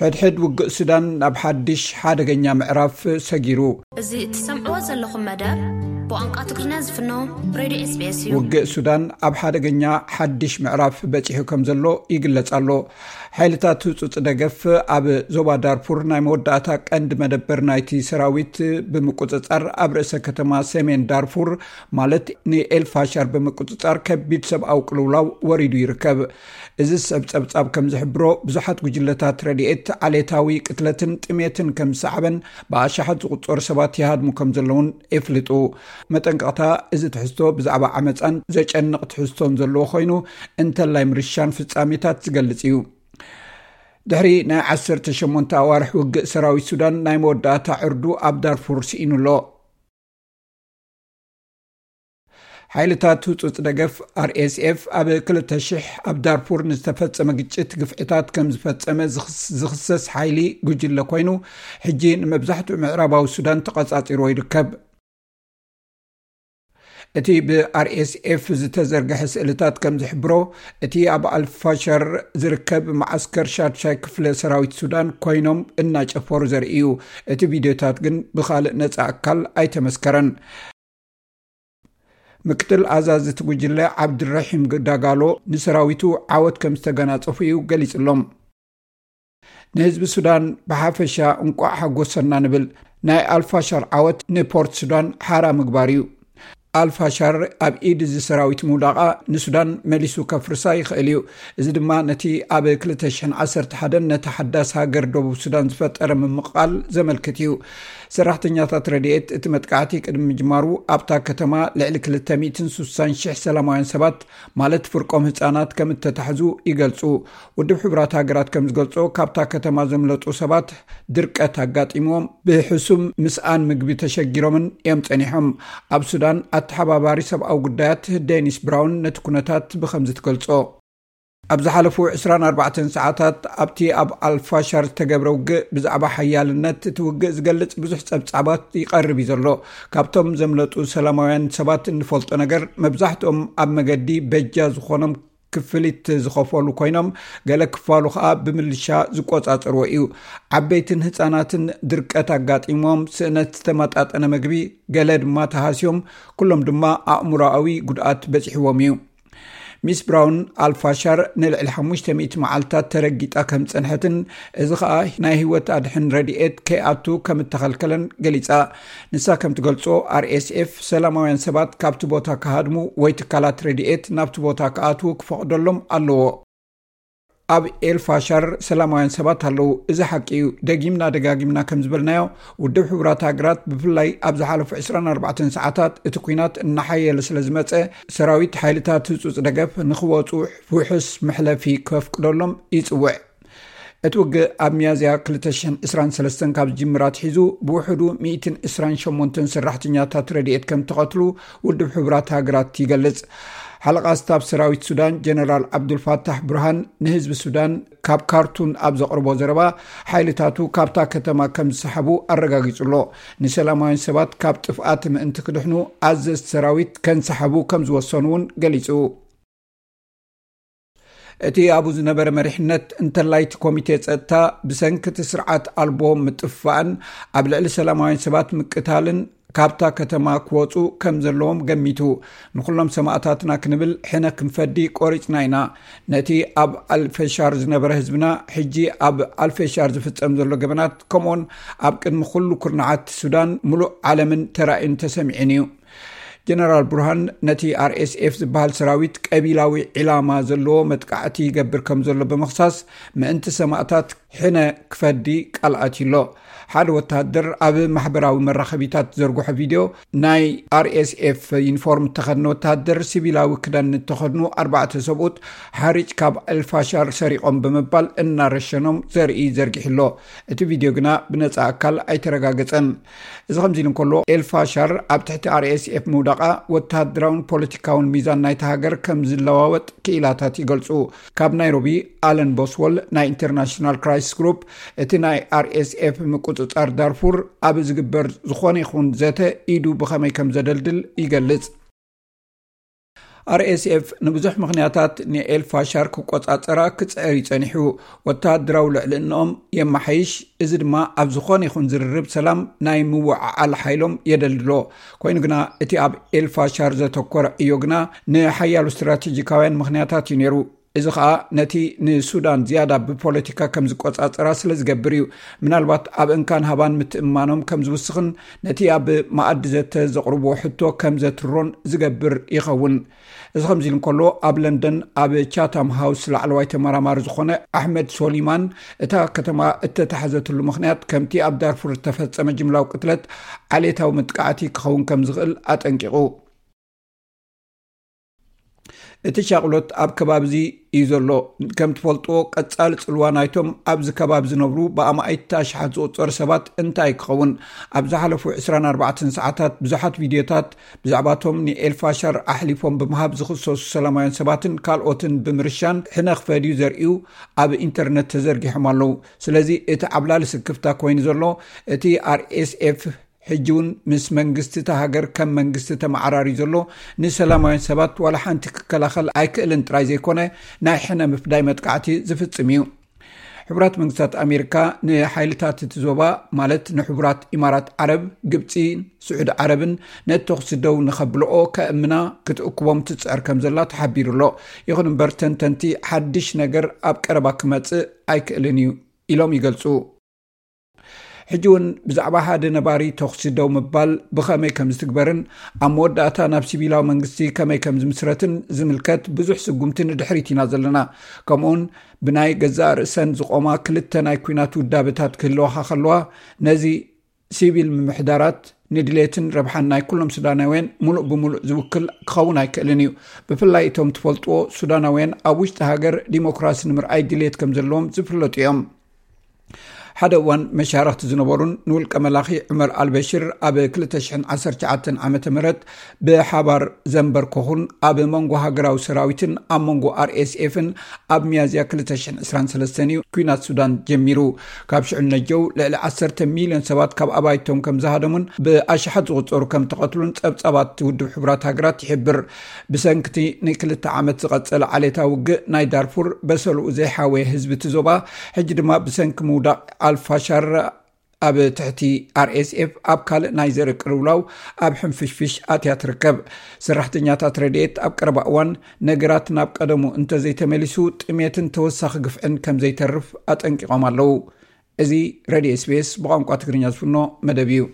ሕድሕድ ውግእ ሱዳን ናብ ሓድሽ ሓደገኛ ምዕራፍ ሰጊሩ። እዚ እትሰምዕዎ ዘለኹም መደብ ብቋንቋ ትግርኛ ዝፍኖ ሬድዮ ኤስቢኤስ እዩ። ውግእ ሱዳን ኣብ ሓደገኛ ሓድሽ ምዕራፍ በጺሑ ከም ዘሎ ይግለጽ ኣሎ። ሓይልታት ህጹጽ ደገፍ ኣብ ዞባ ዳርፉር ናይ መወዳእታ ቀንዲ መደበር ናይቲ ሰራዊት ብምቁጽጻር ኣብ ርእሰ ከተማ ሰሜን ዳርፉር ማለት ንኤልፋሻር ብምቁጽጻር ከቢድ ሰብኣዊ ቅልውላው ወሪዱ ይርከብ። እዚ ዝስዕብ ጸብጻብ ከም ዝሕብሮ ብዙሓት ጉጅለታት ረድኤት ዓሌታዊ ቅትለትን ጥሜትን ከም ዝሰዓበን ብኣሽሓት ዝቑጸሩ ሰባት ይሃድሙ ከም ዘለውን የፍልጡ። መጠንቀቕታ፣ እዚ ትሕዝቶ ብዛዕባ ዓመጻን ዘጨንቕ ትሕዝቶን ዘለዎ ኮይኑ፣ እንተላይ ምርሻን ፍጻሜታት ዝገልጽ እዩ። ድሕሪ ናይ ዓሰርተ ሸሞንተ ኣዋርሕ ውግእ ሰራዊት ሱዳን ናይ መወዳእታ ዕርዱ ኣብ ዳርፉር ስኢኑ ኣሎ። ሓይልታት ህጹጽ ደገፍ ኣርኤስኤፍ ኣብ ክልተ ሽሕ ኣብ ዳርፉር ንዝተፈጸመ ግጭት ግፍዕታት ከም ዝፈጸመ ዝኽስ- ዝኽሰስ ሓይሊ ጉጅለ ኮይኑ፣ ሕጂ ንመብዛሕትኡ ምዕራባዊ ሱዳን ተቐጻጺርዎ ይርከብ። እቲ ብኣርኤስኤፍ ዝተዘርግሐ ስእልታት ከም ዝሕብሮ፣ እቲ ኣብ ኣልፋሸር ዝርከብ መዓስከር ሻድሻይ ክፍለ ሰራዊት ሱዳን ኮይኖም እናጨፈሩ ዘርኢ እዩ። እቲ ቪድዮታት ግን ብኻልእ ነጻ ኣካል ኣይተመስከረን። ምክትል ኣዛዚ እቲ ጉጅለ ዓብድረሒም ዳጋሎ ንሰራዊቱ ዓወት ከም ዝተገናጸፉ እዩ ገሊጽሎም። ንህዝቢ ሱዳን ብሓፈሻ እንቋዕ ሓጎሰና ንብል። ናይ ኣልፋሻር ዓወት ንፖርት ሱዳን ሓራ ምግባር እዩ። ኣልፋሻር ኣብ ኢድ እዚ ሰራዊት ምውዳቓ ንሱዳን መሊሱ ከፍርሳ ይኽእል እዩ። እዚ ድማ ነቲ ኣብ ክልተ ሽሕን ዓሰርተ ሓደን ነቲ ሓዳስ ሃገር ደቡብ ሱዳን ዝፈጠረ ምምቕቓል ዘመልክት እዩ። ሰራሕተኛታት ረድኤት እቲ መጥቃዕቲ ቅድሚ ምጅማሩ ኣብታ ከተማ ልዕሊ ክልተ ሚእትን ስሳን ሽሕ ሰላማውያን ሰባት ማለት ፍርቆም ህጻናት ከም እተታሕዙ ይገልጹ። ውድብ ሕቡራት ሃገራት ከም ዝገልጾ፣ ካብታ ከተማ ዘምለጡ ሰባት ድርቀት ኣጋጢምዎም ብሕሱም ምስኣን ምግቢ ተሸጊሮምን እዮም ጸኒሖም። ኣብ ሱዳን ኣተሓባባሪ ሰብኣዊ ጉዳያት ዴኒስ ብራውን ነቲ ኩነታት ብኸምዚ ትገልጾ። ኣብ ዝሓለፉ ዕስራን ኣርባዕተን ሰዓታት ኣብቲ ኣብ ኣልፋሻር ዝተገብረ ውግእ ብዛዕባ ሓያልነት እቲ ውግእ ዝገልጽ ብዙሕ ጸብጻባት ይቐርብ እዩ ዘሎ። ካብቶም ዘምለጡ ሰላማውያን ሰባት እንፈልጦ ነገር፣ መብዛሕትኦም ኣብ መገዲ በጃ ዝኾኖም ክፍሊት ዝኸፈሉ ኮይኖም፣ ገለ ክፋሉ ከኣ ብምልሻ ዝቆጻጸርዎ እዩ። ዓበይትን ህጻናትን ድርቀት ኣጋጢሞም፣ ስእነት ዝተመጣጠነ መግቢ፣ ገለ ድማ ተሃስዮም፣ ኩሎም ድማ ኣእምሮኣዊ ጉድኣት በጺሕዎም እዩ። ሚስ ብራውን፣ ኣልፋሻር ንልዕሊ ሓሙሽተ ሚእቲ መዓልታት ተረጊጣ ከም ዝጸንሐትን፣ እዚ ኸኣ ናይ ህይወት ኣድሕን ረድኤት ከይኣቱ ከም እተኸልከለን ገሊጻ። ንሳ ከም ትገልጾ፣ ኣርኤስኤፍ ሰላማውያን ሰባት ካብቲ ቦታ ክሃድሙ ወይ ትካላት ረድኤት ናብቲ ቦታ ክኣትዉ ክፈቕደሎም ኣለዎ። ኣብ ኤልፋሻር ሰላማውያን ሰባት ኣለዉ። እዚ ሓቂ እዩ። ደጊምና ደጋጊምና ከም ዝበልናዮ፣ ውድብ ሕቡራት ሃገራት ብፍላይ ኣብ ዝሓለፉ ዕስራን ኣርባዕተን ሰዓታት እቲ ኲናት እናሓየለ ስለ ዝመጸ፣ ሰራዊት ሓይልታት ህጹጽ ደገፍ ንኽወጹ ውሑስ መሕለፊ ከፍቅደሎም ይጽውዕ። እቲ ውግእ ኣብ ሚያዝያ ክልተ ሽሕን ዕስራን ሰለስተን ካብ ዝጅምር ኣትሒዙ ብውሕዱ ሚእትን ዕስራን ሸሞንተን ሰራሕተኛታት ረድኤት ከም ተቐትሉ ውድብ ሕቡራት ሃገራት ይገልጽ። ሓለቓ ስታፍ ሰራዊት ሱዳን ጀነራል ዓብዱልፋታሕ ብርሃን ንህዝቢ ሱዳን ካብ ካርቱም ኣብ ዘቕርቦ ዘረባ፣ ሓይልታቱ ካብታ ከተማ ከም ዝሰሓቡ ኣረጋጊጹ ኣሎ። ንሰላማውያን ሰባት ካብ ጥፍኣት ምእንቲ ክድሕኑ ኣዘዝቲ ሰራዊት ከንሰሓቡ ከም ዝወሰኑ እውን ገሊጹ። እቲ ኣብኡ ዝነበረ መሪሕነት፣ እንተላይ እቲ ኮሚቴ ጸጥታ ብሰንኪ እቲ ስርዓት ኣልቦ ምጥፍፋእን ኣብ ልዕሊ ሰላማውያን ሰባት ምቅታልን ካብታ ከተማ ክወጹ ከም ዘለዎም ገሚቱ። ንኹሎም ሰማእታትና ክንብል ሕነ ክንፈዲ ቆሪጽና ኢና። ነቲ ኣብ ኣልፈሻር ዝነበረ ህዝብና፣ ሕጂ ኣብ ኣልፈሻር ዝፍጸም ዘሎ ገበናት፣ ከምኡውን ኣብ ቅድሚ ኩሉ ኩርናዓት ሱዳን፣ ምሉእ ዓለምን ተራእዩን ተሰሚዑን እዩ። ጀነራል ቡርሃን ነቲ ኣርኤስኤፍ ዝበሃል ሰራዊት ቀቢላዊ ዒላማ ዘለዎ መጥቃዕቲ ይገብር ከም ዘሎ ብምኽሳስ፣ ምእንቲ ሰማእታት ሕነ ክፈዲ ቃል ኣትዩ ኣሎ። ሓደ ወተሃደር ኣብ ማሕበራዊ መራኸቢታት ዘርግሖ ቪድዮ፣ ናይ ኣርኤስኤፍ ዩኒፎርም እተኸድነ ወተሃደር ሲቪላዊ ክዳን እተኸድኑ ኣርባዕተ ሰብኡት ሓሪጭ ካብ ኣልፋሻር ሰሪቖም ብምባል እናረሸኖም ዘርኢ ዘርጊሑ ኣሎ። እቲ ቪድዮ ግና ብነጻ ኣካል ኣይተረጋገጸን። እዚ ከምዚ ኢሉ እንከሎ፣ ኤልፋሻር ኣብ ትሕቲ ኣርኤስኤፍ ምውዳቓ ወተሃደራውን ፖለቲካውን ሚዛን ናይታ ሃገር ከም ዝለዋወጥ ክኢላታት ይገልጹ። ካብ ናይሮቢ፣ ኣለን ቦስወል ናይ ኢንተርናሽናል ክራይሲስ ግሩፕ፣ እቲ ናይ ኣርኤስኤፍ ምቁጽጻር ዳርፉር ኣብ ዝግበር ዝኾነ ይኹን ዘተ ኢዱ ብኸመይ ከም ዘደልድል ይገልጽ። ኣርኤስኤፍ ንብዙሕ ምኽንያታት ንኤልፋሻር ክቆጻጸራ ክጽዕር ይጸኒሑ። ወተሃደራዊ ልዕልንኦም የመሓይሽ፣ እዚ ድማ ኣብ ዝኾነ ይኹን ዝርርብ ሰላም ናይ ምውዓዓል ሓይሎም የደልድሎ። ኮይኑ ግና እቲ ኣብ ኤልፋሻር ዘተኮረ ዕዮ ግና ንሓያሉ ስትራቴጂካውያን ምኽንያታት እዩ ነይሩ። እዚ ኸኣ ነቲ ንሱዳን ዝያዳ ብፖለቲካ ከም ዝቆጻጸራ ስለ ዝገብር እዩ። ምናልባት ኣብ እንካን ሃባን ምትእምማኖም ከም ዝውስኽን ነቲ ኣብ መኣዲ ዘተ ዘቕርብዎ ሕቶ ከም ዘትሮን ዝገብር ይኸውን። እዚ ከምዚ ኢሉ እንከሎ፣ ኣብ ለንደን ኣብ ቻታም ሃውስ ላዕለዋይ ተመራማሪ ዝኾነ ኣሕመድ ሶሊማን፣ እታ ከተማ እተታሕዘትሉ ምኽንያት ከምቲ ኣብ ዳርፉር ዝተፈጸመ ጅምላዊ ቅትለት ዓሌታዊ መጥቃዕቲ ክኸውን ከም ዝኽእል ኣጠንቂቑ። እቲ ሻቕሎት ኣብ ከባቢ እዚ እዩ ዘሎ። ከም ትፈልጥዎ፣ ቀጻሊ ጽልዋ ናይቶም ኣብዚ ከባቢ ዝነብሩ ብኣማኢት ኣሽሓት ዝቑጸሩ ሰባት እንታይ ክኸውን? ኣብ ዝሓለፉ ዕስራን ኣርባዕተን ሰዓታት ብዙሓት ቪድዮታት ብዛዕባቶም ንኤልፋሻር ኣሕሊፎም ብምሃብ ዝኽሰሱ ሰላማውያን ሰባትን ካልኦትን ብምርሻን ሕነ ክፈድዩ ዘርእዩ ኣብ ኢንተርነት ተዘርጊሖም ኣለዉ። ስለዚ እቲ ዓብላሊ ስክፍታ ኮይኑ ዘሎ፣ እቲ ኣርኤስኤፍ ሕጂ እውን ምስ መንግስቲ እታ ሃገር ከም መንግስቲ ተመዓራርዩ ዘሎ፣ ንሰላማውያን ሰባት ዋላ ሓንቲ ክከላኸል ኣይክእልን ጥራይ ዘይኮነ፣ ናይ ሕነ ምፍዳይ መጥቃዕቲ ዝፍጽም እዩ። ሕቡራት መንግስታት ኣሜሪካ ንሓይልታት እቲ ዞባ፣ ማለት ንሕቡራት ኢማራት ዓረብ፣ ግብጺ፣ ስዑዲ ዓረብን ነቲ ተኹሲ ደው ንኸብልኦ ከእምና ክትእክቦም ትጽዕር ከም ዘላ ተሓቢሩ ኣሎ። ይኹን እምበር፣ ተንተንቲ ሓድሽ ነገር ኣብ ቀረባ ክመጽእ ኣይክእልን እዩ ኢሎም ይገልጹ። ሕጂ እውን ብዛዕባ ሓደ ነባሪ ተኹሲ ደው ምባል ብኸመይ ከም ዝትግበርን ኣብ መወዳእታ ናብ ሲቪላዊ መንግስቲ ከመይ ከም ዝምስረትን ዝምልከት ብዙሕ ስጉምቲ ንድሕሪት ኢና ዘለና። ከምኡውን ብናይ ገዛእ ርእሰን ዝቖማ ክልተ ናይ ኲናት ውዳበታት ክህልዋኻ ከለዋ፣ ነዚ ሲቪል ምምሕዳራት ንድሌትን ረብሓን ናይ ኩሎም ሱዳናውያን ምሉእ ብምሉእ ዝውክል ክኸውን ኣይክእልን እዩ። ብፍላይ እቶም ትፈልጥዎ ሱዳናውያን ኣብ ውሽጢ ሃገር ዲሞክራሲ ንምርኣይ ድሌት ከም ዘለዎም ዝፍለጡ እዮም። ሓደ እዋን መሻርኽቲ ዝነበሩን ንውልቀ መላኺ ዑመር ኣልበሽር ኣብ ክልተ ሽሕን ዓሰርተ ትሽዓተን ዓመተ ምህረት ብሓባር ዘንበርከኹን ኣብ መንጎ ሃገራዊ ሰራዊትን ኣብ መንጎ ኣርኤስኤፍን ኣብ ሚያዝያ ክልተ ሽሕን ዕስራን ሰለስተን እዩ ኲናት ሱዳን ጀሚሩ። ካብ ሽዑ ነጀው ልዕሊ ዓሰርተ ሚልዮን ሰባት ካብ ኣባይቶም ከም ዝሃደሙን ብኣሽሓት ዝቑጸሩ ከም ተቐትሉን ጸብጻባት ውድብ ሕቡራት ሃገራት ይሕብር። ብሰንክቲ ንክልተ ዓመት ዝቐጸለ ዓሌታዊ ውግእ ናይ ዳርፉር በሰልኡ ዘይሓወየ ህዝቢ እቲ ዞባ፣ ሕጂ ድማ ብሰንኪ ምውዳቕ ኣልፋሻር ኣብ ትሕቲ ኣርኤስኤፍ ኣብ ካልእ ናይ ዘርኢ ቅልውላው ኣብ ሕንፍሽፍሽ ኣትያ ትርከብ። ሰራሕተኛታት ረድኤት ኣብ ቀረባ እዋን ነገራት ናብ ቀደሙ እንተዘይተመሊሱ ጥሜትን ተወሳኺ ግፍዕን ከም ዘይተርፍ ኣጠንቂቖም ኣለዉ። እዚ ሬድዮ ኤስቢኤስ ብቋንቋ ትግርኛ ዝፍኖ መደብ እዩ።